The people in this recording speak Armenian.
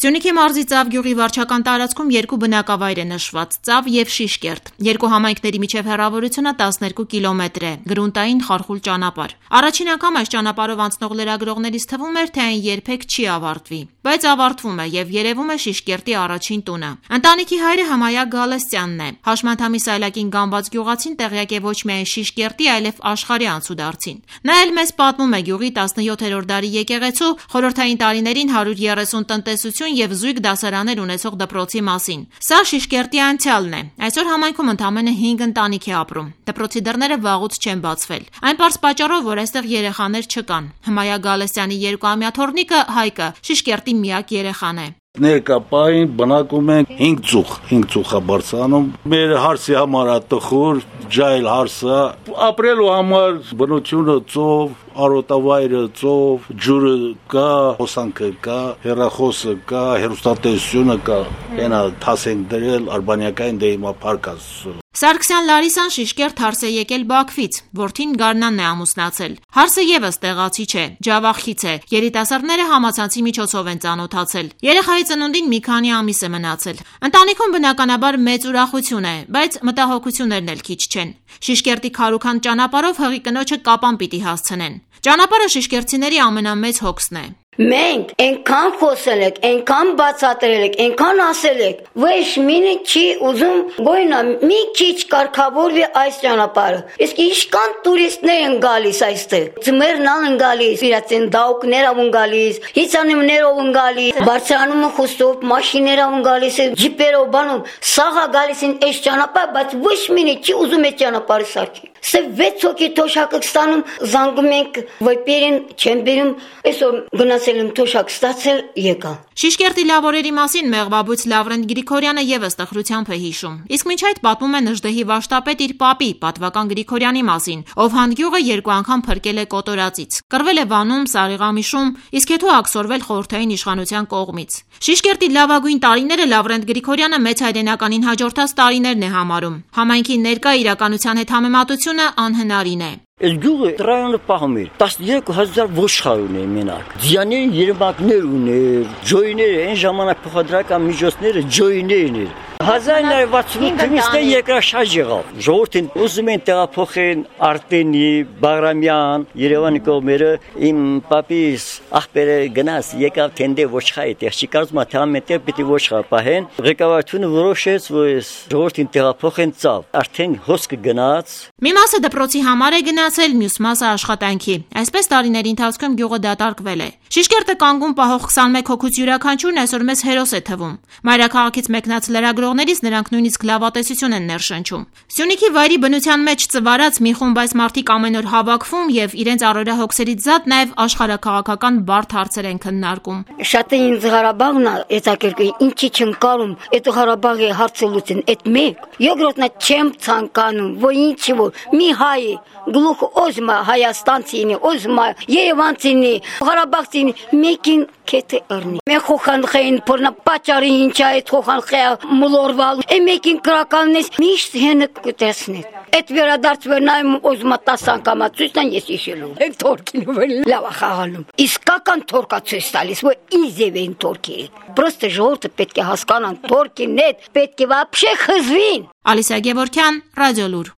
Սյունիքի մարզի Ծավ գյուղի վարչական տարածքում երկու բնակավայր է նշված՝ Ծավ եւ Շիշկերտ։ Երկու համայնքների միջև հեռավորությունը 12 կիլոմետր է, գրունտային խարխուլ ճանապարհ։ Առաջին անգամ այս ճանապարհով անցնող լրագրողներից թվում էր, թե այն երբեք չի ավարտվի, բայց ավարտվում է եւ երևում է Շիշկերտի առաջին տունը։ Ընտանիքի հայրը Հմայա Գալստյանն է։ Հաշմանդամի սայլակին գանված գյուղացին տեղյակ է ոչ միայն Շիշկերտի, այլև աշխարհի անցուդարձին։ Նա էլ մեզ պատմում է գյուղի 17-րդ դարի եկեղեցու, խորհրդային տարիներին 130 տնտեսություն եւ զույգ դասարաններ ունեցող դպրոցի մասին։ Սա Շիշկերտի անցյալն է։ Այսօր համայնքում ընդամենը 5 ընտանիք է ապրում։ Դպրոցի դռները վաղուց չեն բացվել։ Այն պարզ պատճառով, որ այստեղ երեխաներ չկան։ Հմայա Գալստյանի 2-ամյա թոռնիկը Հայկը Շիշկերտի միակ երեխան է։ Ներկապային բնակում են 5 ծուխ է բարձանում։ Մեր հարսի համար տխուր, ջայլ հարսը, ապրելու համար բնությունը ծով, արոտավայրը ծով, ջուրը կա, հոսանքը կա, հեռախոսը կա, հեռուստատեսությունը կա, այնա թաս ենք դրել, արբանյակային դե հիմա փառք Աստծո։ Սարգսյան Լարիսան Շիշկերտ հարս է եկել Բաքվից, որդին Գարնանն է ամուսնացել։ Հարսը եւս տեղացի չէ, ջավախից է։ Երիտասարդները համացանցի միջոցով են ծանոթացել։ Երեխայի ծնունդին մի քանի ամիս է մնացել։ Ընտանիքում բնականաբար մեծ ուրախություն է, բայց մտահոգություններն էլ քիչ չեն։ Շիշկերտի քարուքան ճանապարհով հղի կնոջը Կապան պիտի հասցնեն։ Ճանապարհը շիշկերտցիների ամենամեծ հոգսն է։ Մենք այնքան խոսել ենք, այնքան բացատրել ենք, այնքան ասել ենք, ոչ մինը չի ուզում գոյնա մի քիչ կարգավորվի այս ճանապարհը։ Իսկ իշքան տուրիստներ են գալիս այստեղ։ Ձմեռն են գալիս, իրաց են դաուկներով են գալիս, հիցանիմներով են գալիս, բարձրանում են խոսով, մաշիներով են գալիս, ջիպերով բանում, սաղա գալիս են այս ճանապարհ, բայց ոչ մինը չի ուզում այդ ճանապարհը սարքի։ Սա 6 հոգի թոշակը ստանում, զանգում ենք, վեպերին չեն բերում, այսօր գնացել եմ թոշակ ստացել, եկա։ Շիշկերտի լավորերի մասին մեղվաբույց Լավրենտ Գրիգորյանը եւս տխրությամբ է հիշում։ Իսկ մինչ այդ պատմում է Նժդեհի վաշտապետ իր պապի, պատվական Գրիգորյանի մասին, ով հանդգյուղը 2 անգամ փրկել է կոտորածից։ Կռվել է Վանում, Սարիղամիշում, իսկ հետո ակսորվել խորհրդային իշխանության կողմից։ Շիշկերտի լավագույն տարիները Լավրենտ Գրիգորյանը մեծ հայրենականին հաջորդած տարիներն է համարում։ Համայնքի ներկա իրականության հետ համեմատությունը անհնարին է։ Այս գյուղը ռայոնը պահում էր 13000 ոչխար ուներ մենակ։ Ձիաների երմակներ ուներ, ջոյներ, այն ժամանակ փոխադրական միջոցները ջոյներն էր։ 1968 թվականից երկրաշարժ եղավ։ Ժողովրդին ուզում են տեղափոխեն Արտենի, Բաղրամյան, Երևանի կողմերը, իմ պապիս աղբերը գնաց եկավ թենդե ոչխարի տեղ, չի կարծում թե ամենտեղ պիտի ոչխար պահեն։ Ղեկավարությունը որոշեց, որ ժողովրդին տեղափոխեն Ծավ։ Արդեն հոսքը գնաց։ Մի մասը դպրոցի համար է գնացել, մյուս մասը աշխատանքի։ Այսպես տարիների ընթացքում գյուղը դատարկվել է։ Շիշկերտը կանգուն պահող 21 հոգուց յուրաքանչյուրն այսօր մեզ հերոս է թվում։ Մայրաքաղաքից մեկնած լրագրողներից նրանք նույնիսկ լավատեսություն են ներշնչում։ Սյունիքի վայրի բնության մեջ ծվարած մի խումբ այս մարդիկ ամեն օր հավաքվում եւ իրենց առօրյա հոգսերից զատ նաեւ աշխարհաքաղաքական բարդ հարցեր են քննարկում։ Շատ է ինձ Ղարաբաղն է հետաքրքրի, ինչի չեմ կարում, այդ Ղարաբաղի հարցը լուծեն, այդ մեկ։ Երկրորդն է չեմ ցանկանում, որ ինչի որ մի հայ գլուխ օզմա Հայաստանցինի, օզմա Երևանցինի, Ղարաբաղցինի մեկին քեթե առնի։ Մենք խոխանխային փորնա պատճառի ինչ է այդ խոխանխյա մոլորվալ։ Մեկին կրականից միշտ հենը կտեսնեք։ Այդ վերադարձ նայում օզմա 10 անգամ ցույցն ես իշելու։ Այդ թորքին վեր լավ խաղալում։ Իսկական թորքա ցույց տալիս, որ իզև են թորքի։ Պրոստը ժողովուրդը պետք է հասկանան թորքին հետ, պետք է вообще խզվին։ Ալիսա Գևորգյան, Ռադիոլուր։